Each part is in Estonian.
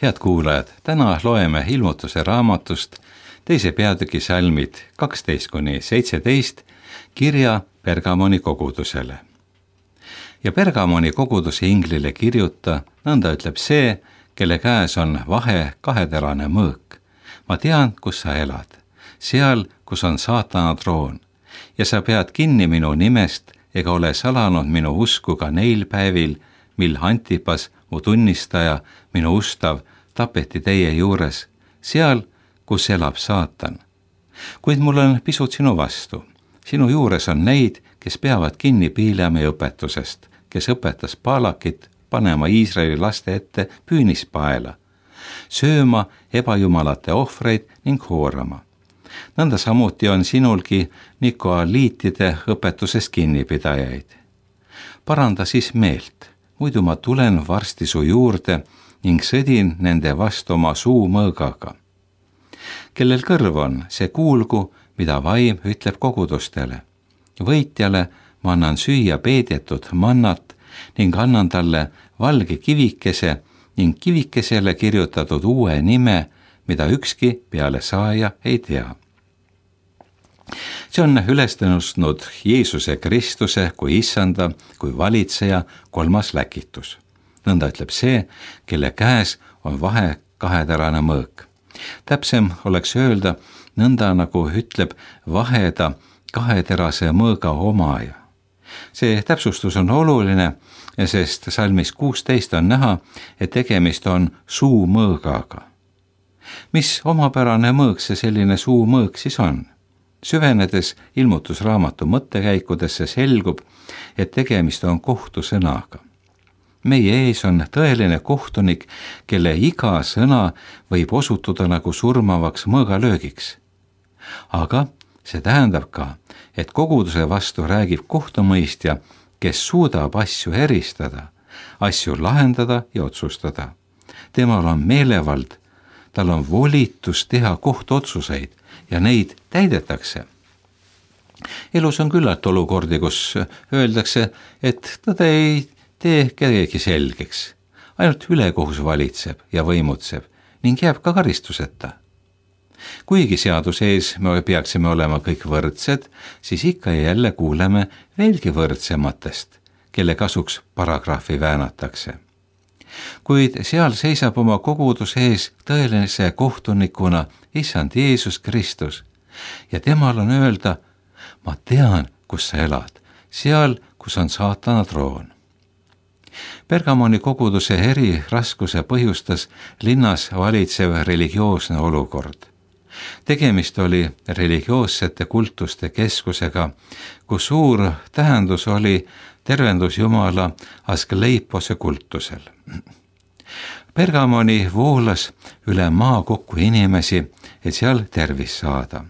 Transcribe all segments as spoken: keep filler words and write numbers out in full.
Head kuulajad, täna loeme Ilmutuse raamatust teise peatüki salmid kaksteist kuni seitseteist kirja Pergamoni kogudusele. Ja Pergamoni koguduse inglile kirjuta, nõnda ütleb see, kelle käes on vahe kaheterane mõõk. Ma tean, kus sa elad, seal, kus on saatana troon, ja sa pead kinni minu nimest ega ole salanud minu usku ka neil päevil, mil Antipas, mu tunnistaja, minu ustav, tapeti teie juures, seal, kus elab saatan. Kuid mul on pisut sinu vastu. Sinu juures on neid, kes peavad kinni Piileami õpetusest, kes õpetas Paalakit panema Iisraeli laste ette püünispaela, sööma ebajumalate ohvreid ning hoorama. Nõnda samuti on sinulgi nikoaliitide õpetusest kinnipidajaid. Paranda siis meelt, muidu ma tulen varsti su juurde ning sõdin nende vastu oma suu mõõgaga. Kellel kõrv on, see kuulgu, mida vaim ütleb kogudustele. Võitjale ma annan süüa peedetud mannat ning annan talle valge kivikese ning kivikesele kirjutatud uue nime, mida ükski peale saaja ei tea. See on üles tõusnud Jeesuse Kristuse kui issanda, kui valitseja kolmas läkitus. Nõnda ütleb see, kelle käes on vahe kaheterane mõõk. Täpsem oleks öelda nõnda, nagu ütleb vaheda kaheterase mõõga omaja. See täpsustus on oluline, sest salmis kuusteist on näha, et tegemist on suumõõgaga. Mis omapärane mõõk see selline suumõõk siis on? Süvenedes ilmutusraamatu mõttekäikudesse selgub, et tegemist on kohtusõnaga. Meie ees on tõeline kohtunik, kelle iga sõna võib osutuda nagu surmavaks mõõgalöögiks. Aga see tähendab ka, et koguduse vastu räägib kohtumõistja, kes suudab asju eristada, asju lahendada ja otsustada. Temal on meelevald, tal on volitus teha kohtuotsuseid ja neid täidetakse. Elus on küllalt olukordi, kus öeldakse, et tõde ei tee kedagi selgeks. Ainult ülekohus valitseb ja võimutseb ning jääb ka karistuseta. Kuigi seaduse ees me peaksime olema kõik võrdsed, siis ikka ja jälle kuuleme veelgi võrdsematest, kelle kasuks paragrahvi väänatakse. Kuid seal seisab oma koguduse ees tõelise kohtunikuna issand Jeesus Kristus ja temal on öelda, ma tean, kus sa elad, seal, kus on saatana troon. Pergamoni koguduse eri raskuse põhjustas linnas valitsev religioosne olukord. Tegemist oli religioossete kultuste keskusega, kus suur tähendus oli tervendus Jumala Askleipose kultusel. Pergamoni voolas üle maa kokku inimesi, et seal tervis saada.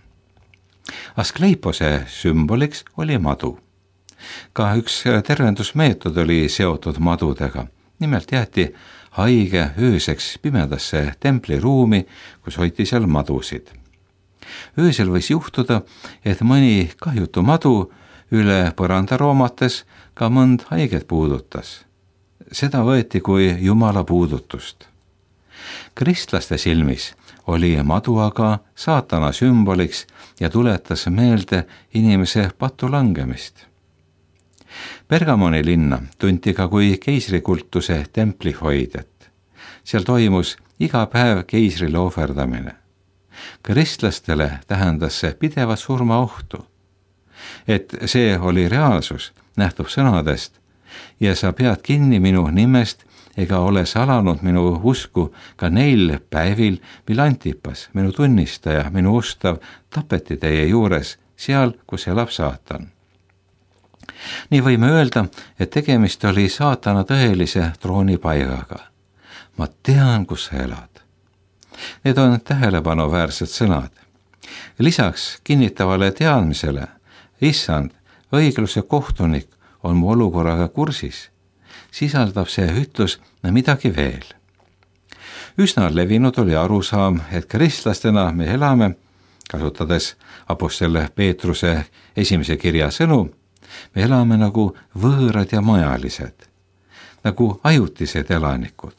Askleipose sümboliks oli madu. Ka üks tervendusmeetod oli seotud madudega. Nimelt jäeti haige ööseks pimedasse templiruumi, kus hoiti seal madusid. Öösel võis juhtuda, et mõni kahjutu madu üle põranda roomates ka mõnd haiget puudutas. Seda võeti kui Jumala puudutust. Kristlaste silmis oli madu aga saatana sümboliks ja tuletas meelde inimese patu langemist. Pergamoni linna tunti ka kui keisrikultuse templihoidjat. Seal toimus iga päev keisrile ohverdamine. Kristlastele tähendas see pidevat surmaohtu. Et see oli reaalsus, nähtub sõnadest, ja sa pead kinni minu nimest ega ole salanud minu usku ka neil päevil, mil Antipas, minu tunnistaja, minu ustav, tapeti teie juures, seal, kus elab saatan. Nii võime öelda, et tegemist oli saatana tõelise troonipaigaga. Ma tean, kus sa elad. Need on tähelepanuväärsed sõnad. Lisaks kinnitavale teadmisele, issand, õigluse kohtunik on mu olukorraga kursis, sisaldab see ütlus midagi veel. Üsna levinud oli arusaam, et kristlastena me elame, kasutades apostel Peetruse esimese kirja sõnu, me elame nagu võõrad ja majalised, nagu ajutised elanikud.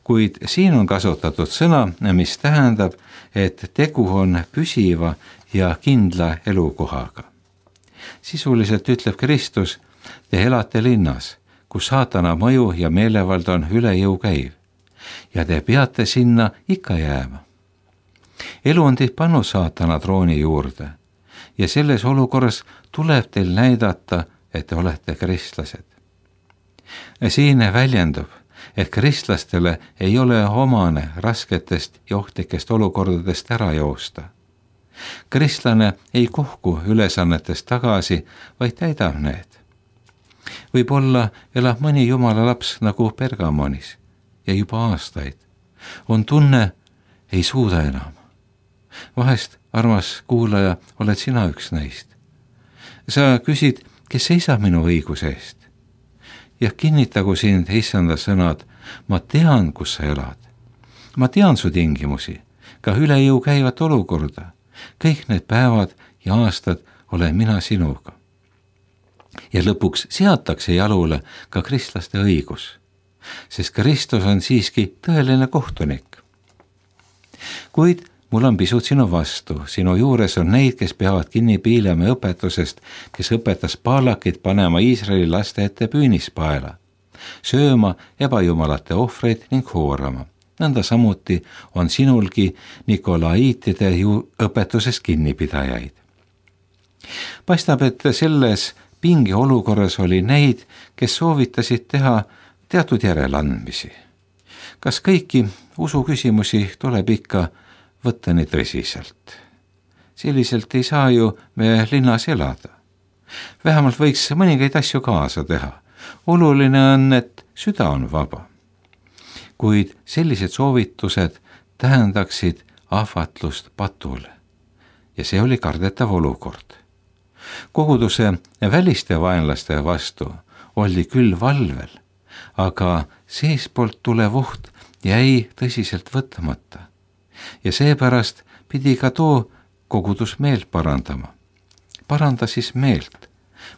kuid siin on kasutatud sõna, mis tähendab, et tegu on püsiva ja kindla elukohaga. Sisuliselt ütleb Kristus, te elate linnas, kus saatana mõju ja meelevald on üle jõu käiv ja te peate sinna ikka jääma. Elu on teid pannud saatana trooni juurde ja selles olukorras tuleb teil näidata, et te olete kristlased. Siin väljendub, et kristlastele ei ole omane rasketest ja ohtlikest olukordadest ära joosta. Kristlane ei kohku ülesannetest tagasi, vaid täidab need. Võib-olla elab mõni jumala laps nagu Pergamonis ja juba aastaid. On tunne, ei suuda enam. Vahest, armas kuulaja, oled sina üks neist. Sa küsid, kes seisab minu õiguse eest? Ja kinnitagu sind issanda sõnad, ma tean, kus sa elad. Ma tean su tingimusi, ka üle jõu käivat olukorda. Kõik need päevad ja aastad olen mina sinuga. Ja lõpuks seatakse jalule ka kristlaste õigus, sest Kristus on siiski tõeline kohtunik. Kuid mul on pisut sinu vastu, sinu juures on neid, kes peavad kinni Piilemi õpetusest, kes õpetas Baalakit panema Iisraeli laste ette püünispaela, sööma ebajumalate ohvreid ning hoorama. Nõnda samuti on sinulgi Nikolaiitide ju õpetusest kinnipidajaid. Paistab, et selles pingi olukorras oli neid, kes soovitasid teha teatud järeleandmisi. Kas kõiki usuküsimusi tuleb ikka võtta nii tõsiselt? Selliselt ei saa ju me linnas elada. Vähemalt võiks mõningaid asju kaasa teha. Oluline on, et süda on vaba. Kuid sellised soovitused tähendaksid ahvatlust patule. Ja see oli kardetav olukord. Koguduse väliste vaenlaste vastu oli küll valvel, aga seespoolt tulev oht jäi tõsiselt võtmata. Ja seepärast pidi ka too kogudus meelt parandama. Paranda siis meelt.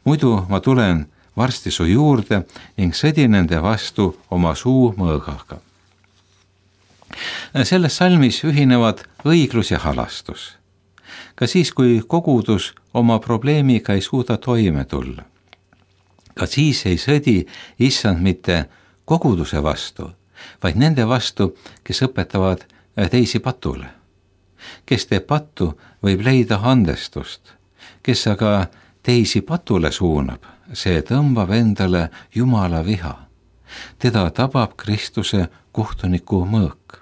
Muidu ma tulen varsti su juurde ning sõdin nende vastu oma suu mõõgaga. Selles salmis ühinevad õiglus ja halastus. Ka siis, kui kogudus oma probleemiga ei suuda toime tulla. Ka siis ei sõdi issand mitte koguduse vastu, vaid nende vastu, kes õpetavad teisi patule. Kes teeb pattu, võib leida andestust. Kes aga teisi patule suunab, see tõmbab endale Jumala viha. Teda tabab Kristuse kohtuniku mõõk.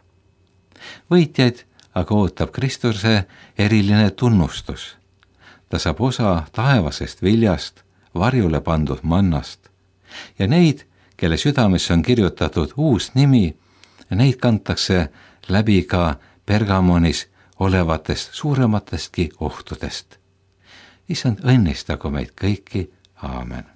Võitjaid aga ootab Kristuse eriline tunnustus. Ta saab osa taevasest viljast, varjule pandud mannast ja neid, kelle südames on kirjutatud uus nimi, neid kantakse läbi ka Pergamonis olevatest suurematestki ohtudest. Issand õnnistagu meid kõiki, aamen.